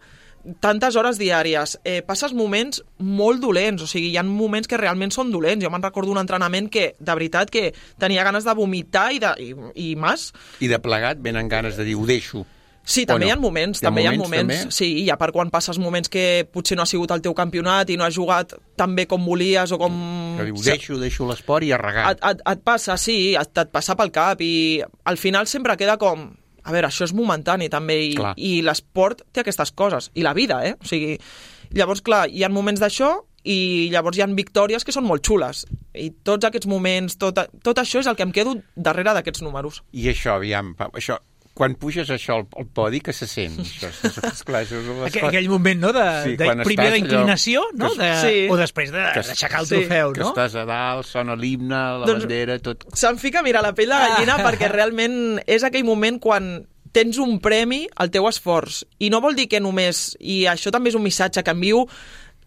tantes hores diàries. Eh, passes moments molt dolents, o sigui, hi ha moments que realment són dolents. Jo me'n recordo un entrenament que, de veritat, que tenia ganes de vomitar i, de, i, i mas. I de plegat venen ganes de dir, ho deixo. Sí, també no? hi ha moments, hi ha també moments, hi ha moments. també? Sí, i a part quan passes moments que potser no ha sigut el teu campionat i no has jugat tan bé com volies o com... Que diu, deixo, deixo l'esport i a regar. Et, et, et passa, sí, et, et passa pel cap i al final sempre queda com... A veure, això és momentani també i, i l'esport té aquestes coses. I la vida, eh? O sigui, llavors, clar, hi ha moments d'això i llavors hi ha victòries que són molt xules. I tots aquests moments, tot, tot això és el que em quedo darrere d'aquests números. I això, aviam, això... Quan puges això al, al podi, que se sent? Això, esclar, això és Aquell, aquell moment, no?, de, sí, de primer d'inclinació, no? De, sí. O després d'aixecar de, el trofeu, sí. no? Que estàs a dalt, sona l'himne, la doncs, bandera, tot... Se'm fica, mira, la pell de gallina ah. perquè realment és aquell moment quan tens un premi al teu esforç. I no vol dir que només... I això també és un missatge que envio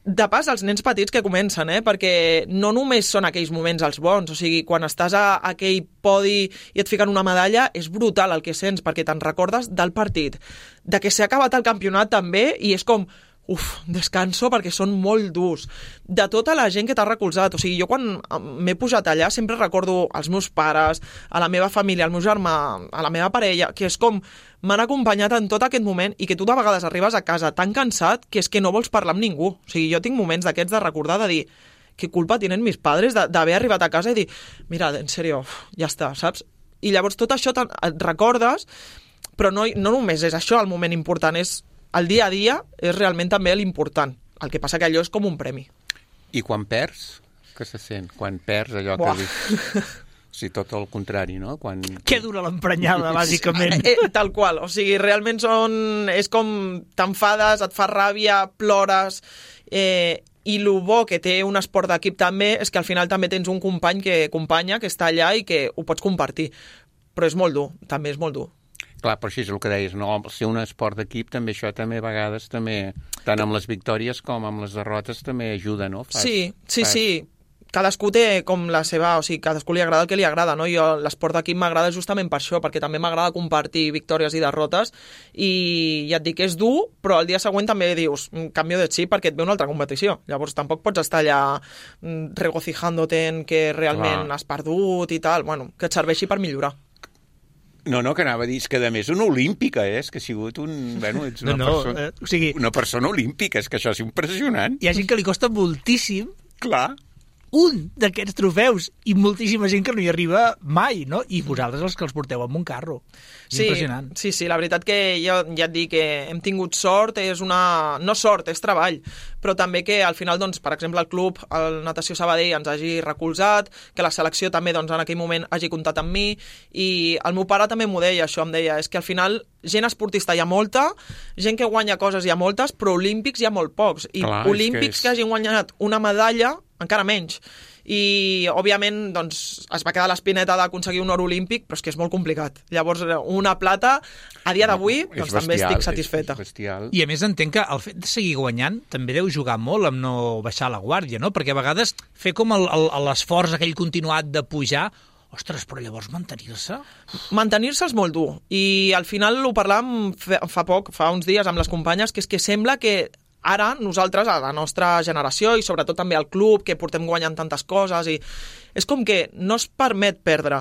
de pas als nens petits que comencen, eh? Perquè no només són aquells moments els bons, o sigui, quan estàs a aquell podi i et fiquen una medalla, és brutal el que sents, perquè te'n recordes del partit, de que s'ha acabat el campionat també, i és com, uf, descanso, perquè són molt durs. De tota la gent que t'ha recolzat, o sigui, jo quan m'he pujat allà sempre recordo als meus pares, a la meva família, al meu germà, a la meva parella, que és com m'han acompanyat en tot aquest moment i que tu de vegades arribes a casa tan cansat que és que no vols parlar amb ningú. O sigui, jo tinc moments d'aquests de recordar, de dir, què culpa tenen mis padres d'haver arribat a casa i dir, mira, en sèrio, ja està, saps? I llavors tot això et recordes, però no, no només és això el moment important, és el dia a dia és realment també l'important. El que passa que allò és com un premi. I quan perds, què se sent? Quan perds allò Buah. que dius... Sí, tot el contrari, no? Quan... Que dura l'emprenyada, bàsicament. Eh, tal qual, o sigui, realment són... És com t'enfades, et fa ràbia, plores... Eh, i el bo que té un esport d'equip també és que al final també tens un company que acompanya, que està allà i que ho pots compartir. Però és molt dur, també és molt dur. Clar, però així és el que deies, no? Ser un esport d'equip també, això també a vegades també, tant amb les victòries com amb les derrotes també ajuda, no? Fas, sí, sí, fas... sí. Cadascú té com la seva... O sigui, cadascú li agrada el que li agrada, no? Jo l'esport d'equip m'agrada justament per això, perquè també m'agrada compartir victòries i derrotes, i ja et dic que és dur, però el dia següent també dius, canvio de xip perquè et ve una altra competició. Llavors tampoc pots estar allà regocijándote en que realment Clar. has perdut i tal. Bueno, que et serveixi per millorar. No, no, que anava a dir, és que a més una olímpica, eh? És que ha sigut un... Bueno, ets una, no, no, persona, eh, o sigui, una persona olímpica, és que això és impressionant. Hi ha gent que li costa moltíssim Clar. un d'aquests trofeus i moltíssima gent que no hi arriba mai, no? I vosaltres els que els porteu amb un carro. És sí, impressionant. Sí, sí, la veritat que jo ja et dic que hem tingut sort, és una... no sort, és treball, però també que al final, doncs, per exemple, el club, el Natació Sabadell, ens hagi recolzat, que la selecció també doncs, en aquell moment hagi comptat amb mi, i el meu pare també m'ho deia, això em deia, és que al final gent esportista hi ha molta, gent que guanya coses hi ha moltes, però olímpics hi ha molt pocs, i Clar, olímpics que, és... que hagin guanyat una medalla, encara menys. I, òbviament, doncs, es va quedar l'espineta d'aconseguir un or olímpic, però és que és molt complicat. Llavors, una plata, a dia d'avui, no, doncs bestial, també estic satisfeta. És, és bestial. I, a més, entenc que el fet de seguir guanyant també deu jugar molt amb no baixar la guàrdia, no? Perquè a vegades fer com l'esforç aquell continuat de pujar, ostres, però llavors mantenir-se? Mantenir-se és molt dur. I al final ho parlàvem fa poc, fa uns dies, amb les companyes, que és que sembla que ara nosaltres, a la nostra generació, i sobretot també al club, que portem guanyant tantes coses, i és com que no es permet perdre.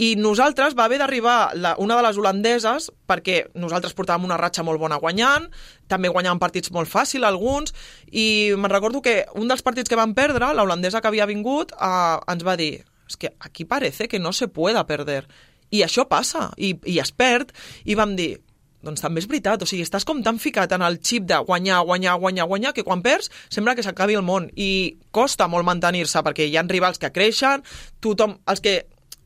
I nosaltres va haver d'arribar una de les holandeses, perquè nosaltres portàvem una ratxa molt bona guanyant, també guanyàvem partits molt fàcil, alguns, i me'n recordo que un dels partits que vam perdre, la holandesa que havia vingut, eh, ens va dir, és que aquí parece que no se pueda perder. I això passa, i, i es perd, i vam dir, doncs també és veritat, o sigui, estàs com tan ficat en el xip de guanyar, guanyar, guanyar, guanyar, que quan perds sembla que s'acabi el món, i costa molt mantenir-se, perquè hi ha rivals que creixen, tothom, els que...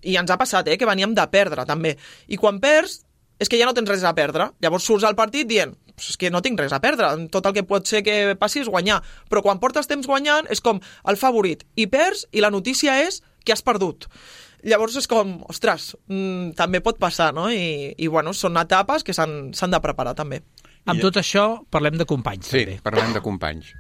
I ens ha passat, eh, que veníem de perdre, també. I quan perds, és que ja no tens res a perdre. Llavors surts al partit dient, és que no tinc res a perdre, tot el que pot ser que passi és guanyar. Però quan portes temps guanyant, és com el favorit. I perds, i la notícia és que has perdut. Llavors és com, ostres, mmm, també pot passar, no? I, i bueno, són etapes que s'han de preparar, també. Amb tot això, parlem de companys, sí, també. Sí, parlem de companys.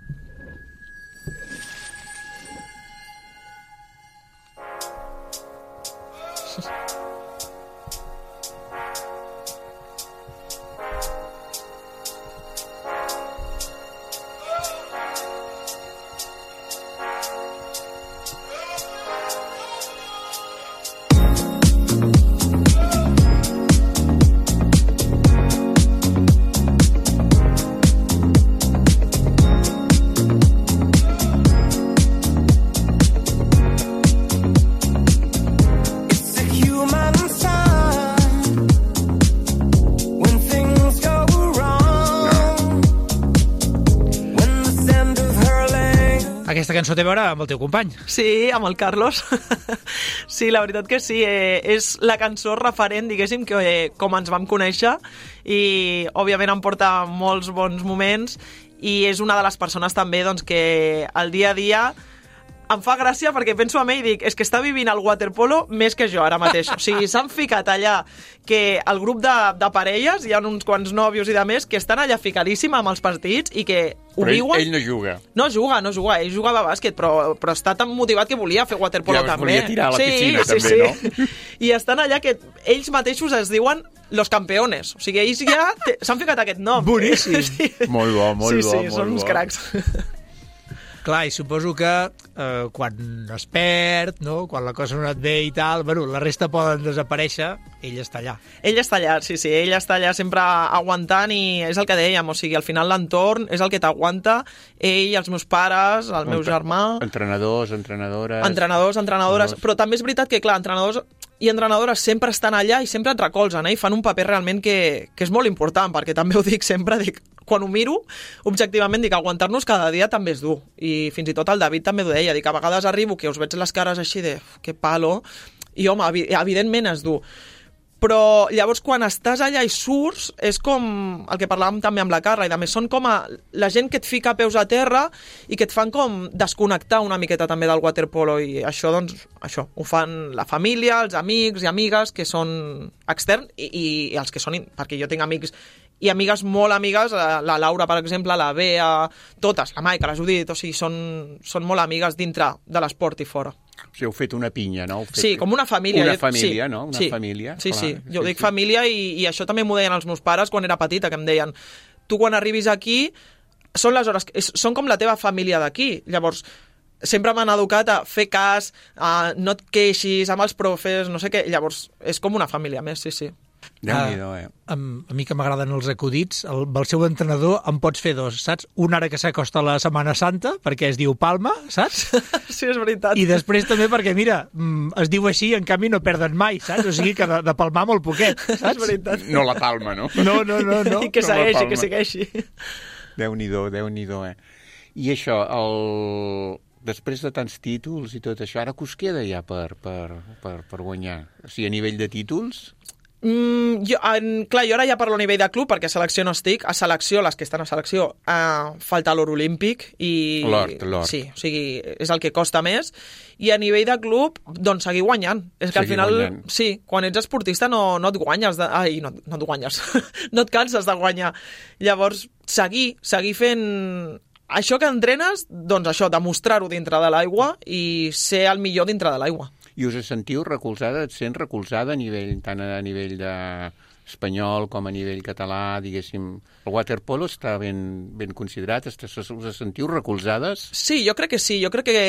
Aquesta cançó té a veure amb el teu company. Sí, amb el Carlos. Sí, la veritat que sí. Eh, és la cançó referent, diguéssim, que eh, com ens vam conèixer, i òbviament em porta molts bons moments, i és una de les persones també doncs, que el dia a dia em fa gràcia perquè penso en ell i dic, és que està vivint el waterpolo més que jo ara mateix. O sigui, s'han ficat allà que el grup de, de parelles, hi ha uns quants nòvios i de més, que estan allà ficadíssim amb els partits i que ho però viuen. Ell, ell no juga. No juga, no juga. Ell jugava a bàsquet, però, però està tan motivat que volia fer waterpolo ja, també. Volia tirar a la sí, piscina sí, també, sí. no? I estan allà que ells mateixos es diuen los campeones. O sigui, ells ja s'han ficat aquest nom. Boníssim. Sí. Molt bo, molt sí, bo. Sí, molt són bo. uns cracs. Clar, i suposo que eh, quan es perd, no? Quan la cosa no et ve i tal, bueno, la resta poden desaparèixer, ell està allà. Ell està allà, sí, sí, ell està allà sempre aguantant, i és el que dèiem, o sigui, al final l'entorn és el que t'aguanta, ell, els meus pares, el meu germà... Entrenadors, entrenadores... Entrenadors, entrenadores, però també és veritat que, clar, entrenadors i entrenadores sempre estan allà i sempre et recolzen, eh? I fan un paper realment que, que és molt important, perquè també ho dic sempre, dic, quan ho miro, objectivament dic, aguantar-nos cada dia també és dur. I fins i tot el David també ho deia, dic, a vegades arribo que us veig les cares així de, que palo, i home, evidentment és dur. Però llavors quan estàs allà i surts és com el que parlàvem també amb la Carla, i a més són com a la gent que et fica peus a terra i que et fan com desconnectar una miqueta també del waterpolo, i això doncs això ho fan la família, els amics i amigues que són externs, i, i, i els que són, perquè jo tinc amics i amigues molt amigues, la Laura per exemple, la Bea, totes, la Maica, la Judit, o sigui, són, són molt amigues dintre de l'esport i fora. O sigui, heu fet una pinya, no? Fet... Sí, com una família. Una família, sí, no? Una sí, família. Sí, clar, sí, jo sí, dic sí. família, i, i això també m'ho deien els meus pares quan era petita, que em deien, tu quan arribis aquí, són les hores, són com la teva família d'aquí. Llavors, sempre m'han educat a fer cas, a no et queixis amb els profes, no sé què. Llavors, és com una família més, sí, sí. Déu-n'hi-do, eh? A, a mi que m'agraden els acudits, el, el seu entrenador en pots fer dos, saps? Un ara que s'acosta la Setmana Santa, perquè es diu Palma, saps? Sí, és veritat. I després també perquè, mira, es diu així i en canvi no perden mai, saps? O sigui que de, de palmar molt poquet, saps? És veritat. No la palma, no? No, no, no. no. I que No la segueixi, palma. que segueixi. Déu-n'hi-do, Déu-n'hi-do, eh? I això, el... després de tants títols i tot això, ara que us queda ja per, per, per, per guanyar? O sigui, a nivell de títols... Mm, jo, en, clar, jo ara ja parlo a nivell de club perquè a selecció no estic. A selecció, les que estan a selecció, eh, falta l'or olímpic i... L'or, l'or. Sí, o sigui, és el que costa més. I a nivell de club, doncs seguir guanyant. És que Seguir al final, guanyant. sí, quan ets esportista no, no et guanyes. De, ai, no, no et guanyes. No et canses de guanyar. Llavors, seguir, seguir fent... Això que entrenes, doncs això, demostrar-ho dintre de l'aigua i ser el millor dintre de l'aigua. I us sentiu recolzada, et sents recolzada a nivell, tant a nivell de espanyol com a nivell català, diguéssim. El waterpolo està ben, ben considerat, us sentiu recolzades? Sí, jo crec que sí. Jo crec que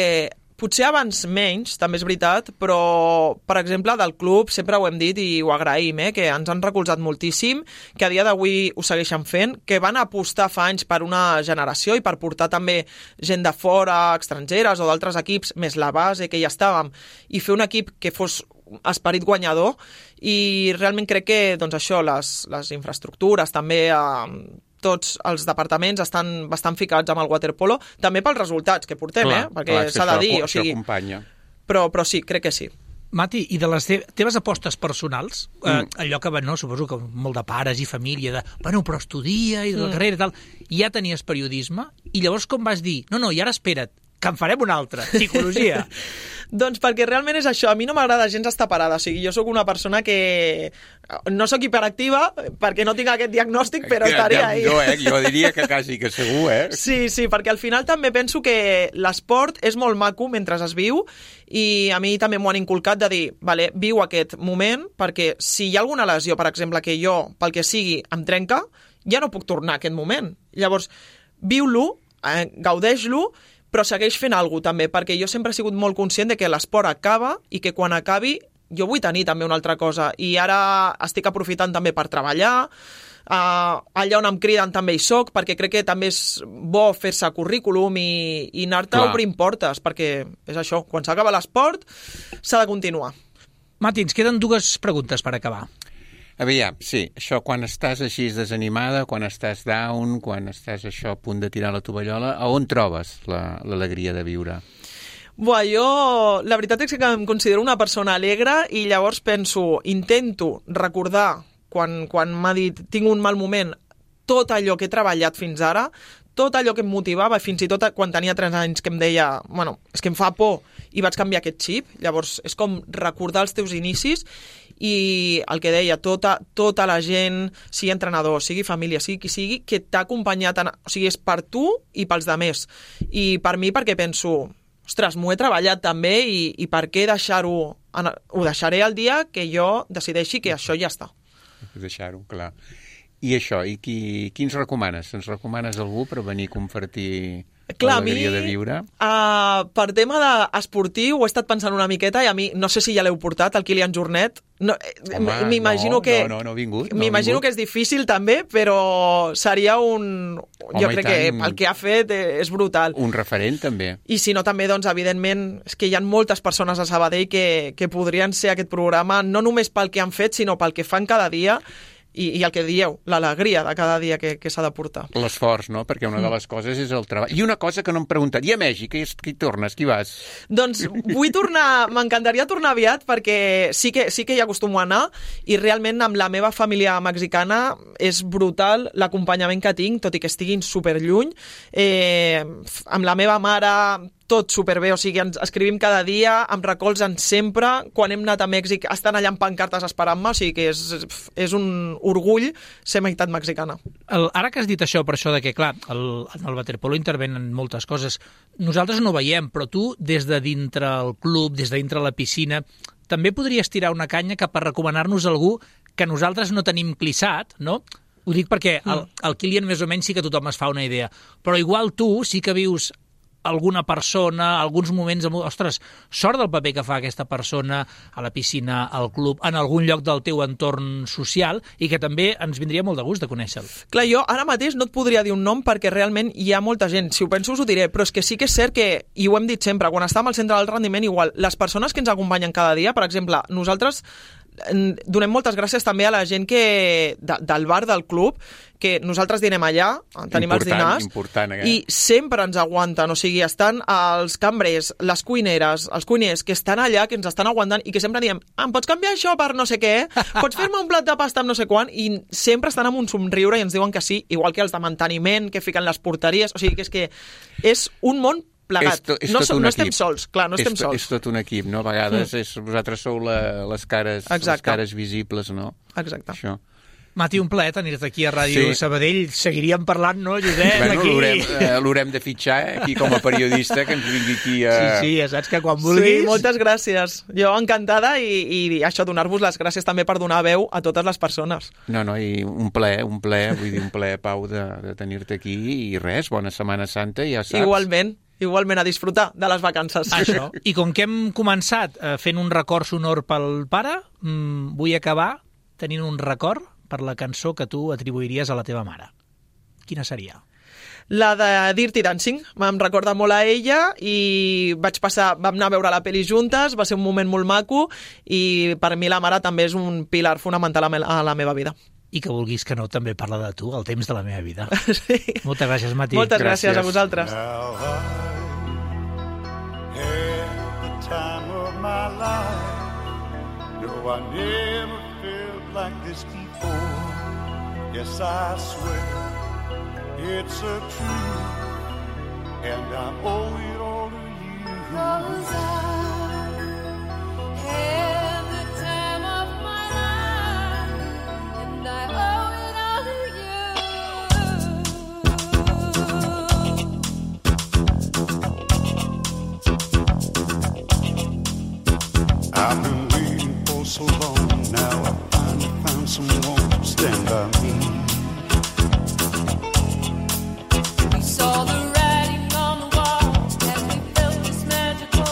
potser abans menys, també és veritat, però, per exemple, del club sempre ho hem dit i ho agraïm, eh, que ens han recolzat moltíssim, que a dia d'avui ho segueixen fent, que van apostar fa anys per una generació i per portar també gent de fora, estrangeres o d'altres equips, més la base que ja estàvem, i fer un equip que fos esperit guanyador, i realment crec que doncs això, les, les infraestructures, també eh, tots els departaments estan bastant ficats amb el waterpolo, també pels resultats que portem, Clar, eh? Perquè clar, és que s'ha de això- dir, o això sigui, acompanya. però, però sí, crec que sí. Mati, i de les te teves apostes personals, Mm. eh, allò que, no, suposo que molt de pares i família, de, bueno, però estudia i de la Mm. carrera i tal, ja tenies periodisme, i llavors com vas dir, no, no, i ara espera't, que en farem una altra, psicologia. Doncs perquè realment és això, a mi no m'agrada gens estar parada, o sigui, jo sóc una persona que no sóc hiperactiva perquè no tinc aquest diagnòstic, però estaria ahí. Jo, eh? Jo diria que quasi que segur, eh? Sí, sí, perquè al final també penso que l'esport és molt maco mentre es viu i a mi també m'ho han inculcat de dir, vale, viu aquest moment perquè si hi ha alguna lesió, per exemple, que jo, pel que sigui, em trenca, ja no puc tornar a aquest moment. Llavors, viu-lo, eh, gaudeix-lo, però segueix fent alguna cosa també, perquè jo sempre he sigut molt conscient de que l'esport acaba i que quan acabi jo vull tenir també una altra cosa. I ara estic aprofitant també per treballar, uh, allà on em criden també hi soc, perquè crec que també és bo fer-se currículum i, i anar-te Clar. obrint portes, perquè és això, quan s'acaba l'esport s'ha de continuar. Mati, ens queden dues preguntes per acabar. Aviam, sí, això quan estàs així desanimada, quan estàs down, quan estàs això a punt de tirar la tovallola, a on trobes l'alegria de viure? Buah, jo la veritat és que em considero una persona alegre i llavors penso, intento recordar quan, quan m'ha dit tinc un mal moment, tot allò que he treballat fins ara, tot allò que em motivava, fins i tot quan tenia tres anys que em deia, bueno, és que em fa por i vaig canviar aquest xip, llavors és com recordar els teus inicis i el que deia, tota, tota la gent, sigui entrenador, sigui família, sigui qui sigui, que t'ha acompanyat, en, o sigui, és per tu i pels demés. I per mi perquè penso, ostres, m'ho he treballat també i, i per què deixar-ho, ho deixaré el dia que jo decideixi que això ja està. Deixar-ho, clar. I això, i qui, qui ens recomanes? Ens recomanes algú per venir a compartir Clar, a mi, l'alegria de viure? Uh, per tema d'esportiu, ho he estat pensant una miqueta i a mi, no sé si ja l'heu portat, el Kilian Jornet. No, Home, m'imagino no, que, no, no, no ha vingut. No m'imagino que és difícil també, però seria un... Home, jo crec que tant. el que ha fet és brutal. Un referent, també. I si no, també, doncs, evidentment, és que hi ha moltes persones a Sabadell que, que podrien ser aquest programa, no només pel que han fet, sinó pel que fan cada dia, i, i el que dieu, l'alegria de cada dia que, que s'ha de portar. L'esforç, no? Perquè una de les coses és el treball. I una cosa que no em preguntat, i a Mèxic, qui, qui tornes, qui vas? Doncs vull tornar, m'encantaria tornar aviat perquè sí que, sí que hi acostumo a anar i realment amb la meva família mexicana és brutal l'acompanyament que tinc, tot i que estiguin superlluny. Eh, amb la meva mare tot superbé, o sigui, ens escrivim cada dia, em recolzen sempre, quan hem anat a Mèxic estan allà amb pancartes esperant-me, o sigui que és, és un orgull ser meitat mexicana. El, ara que has dit això, per això de que, clar, el, en el waterpolo intervenen moltes coses, nosaltres no veiem, però tu, des de dintre el club, des de dintre la piscina, també podries tirar una canya cap a recomanar-nos algú que nosaltres no tenim clissat, no? Ho dic perquè el, el Kilian més o menys sí que tothom es fa una idea, però igual tu sí que vius alguna persona, alguns moments... Ostres, sort del paper que fa aquesta persona a la piscina, al club, en algun lloc del teu entorn social, i que també ens vindria molt de gust de conèixer-lo. Clar, jo ara mateix no et podria dir un nom perquè realment hi ha molta gent. Si ho penso us ho diré, però és que sí que és cert que, i ho hem dit sempre, quan estàvem al centre del rendiment, igual, les persones que ens acompanyen cada dia, per exemple, nosaltres donem moltes gràcies també a la gent que de, del bar del club, que nosaltres dinem allà, tenim important, els dinars, important, eh? i sempre ens aguanten, o sigui, estan els cambrers, les cuineres, els cuiners que estan allà, que ens estan aguantant i que sempre diem, em pots canviar això per no sé què? Pots fer-me un plat de pasta amb no sé quan? I sempre estan amb un somriure i ens diuen que sí, igual que els de manteniment, que fiquen les porteries, o sigui, que és que és un món plegat. És to, és no, tot no estem sols, clar, no és estem to, sols. És tot un equip, no? A vegades mm. és, vosaltres sou la, les, cares, les cares visibles, no? Exacte. Això. Mati, un plaer tenir-te aquí a Ràdio sí. Sabadell. Seguiríem parlant, no, Josep? Bueno, aquí. l'haurem eh, de fitxar, eh, aquí com a periodista, que ens vingui aquí a... Sí, sí, ja saps que quan vulguis... Sí, moltes gràcies. Jo encantada i, i això, donar-vos les gràcies també per donar veu a totes les persones. No, no, i un plaer, un plaer, vull dir, un plaer, Pau, de, de tenir-te aquí i res, bona Setmana Santa, ja saps. Igualment. Igualment a disfrutar de les vacances. Això. I com que hem començat eh, fent un record sonor pel pare, mmm, vull acabar tenint un record per la cançó que tu atribuiries a la teva mare. Quina seria? La de Dirty Dancing. Em recorda molt a ella i vaig passar, vam anar a veure la pel·li juntes, va ser un moment molt maco i per mi la mare també és un pilar fonamental a la meva vida. I que vulguis que no, també parla de tu, el temps de la meva vida. Sí. Moltes gràcies, Mati. Moltes gràcies, gràcies a vosaltres. Now I had the time of my life. No, I never felt like this before. Yes, I swear it's a truth, and I owe it all to you. 'Cause I had the time of my life, and I owe it all to you. I've been waiting for so long, now I finally found someone to stand by me. We saw the writing on the wall as we felt this magical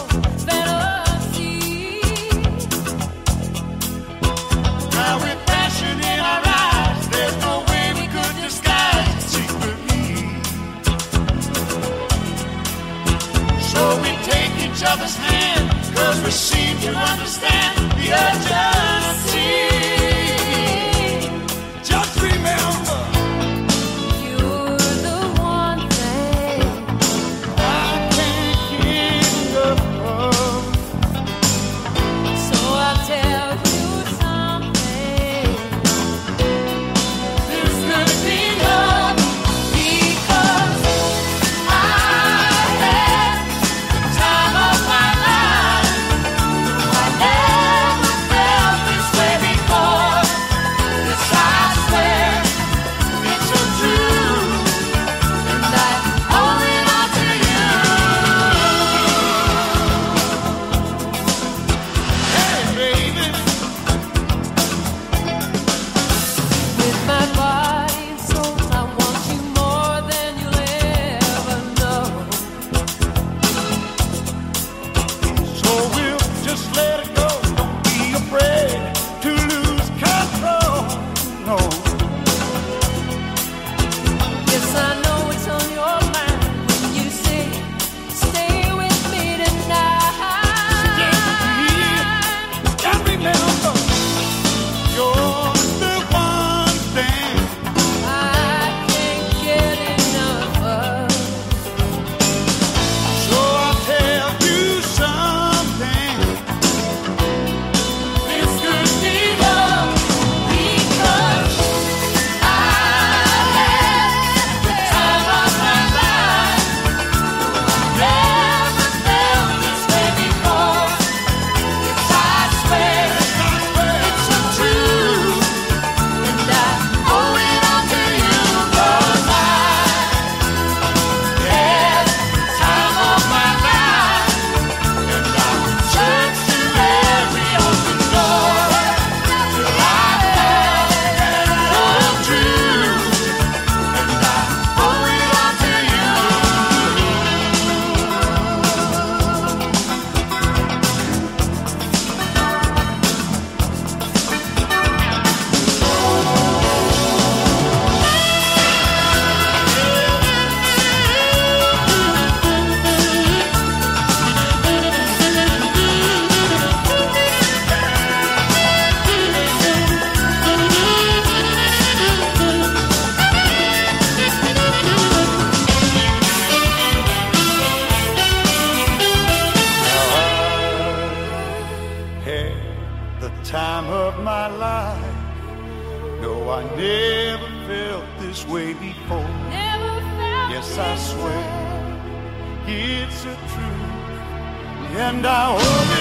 fantasy. Now with passion in our eyes, there's no way we could disguise it secretly. So we take each other's hand, 'cause we seem to understand the urgency. Just remember, you're the one thing I can't get enough of. So I'll tell you something. There's gonna be love, because I had the time of my life. I never felt time of my life. No, I never felt this way before. Never felt Yes, this I swear way. it's a truth, and I hope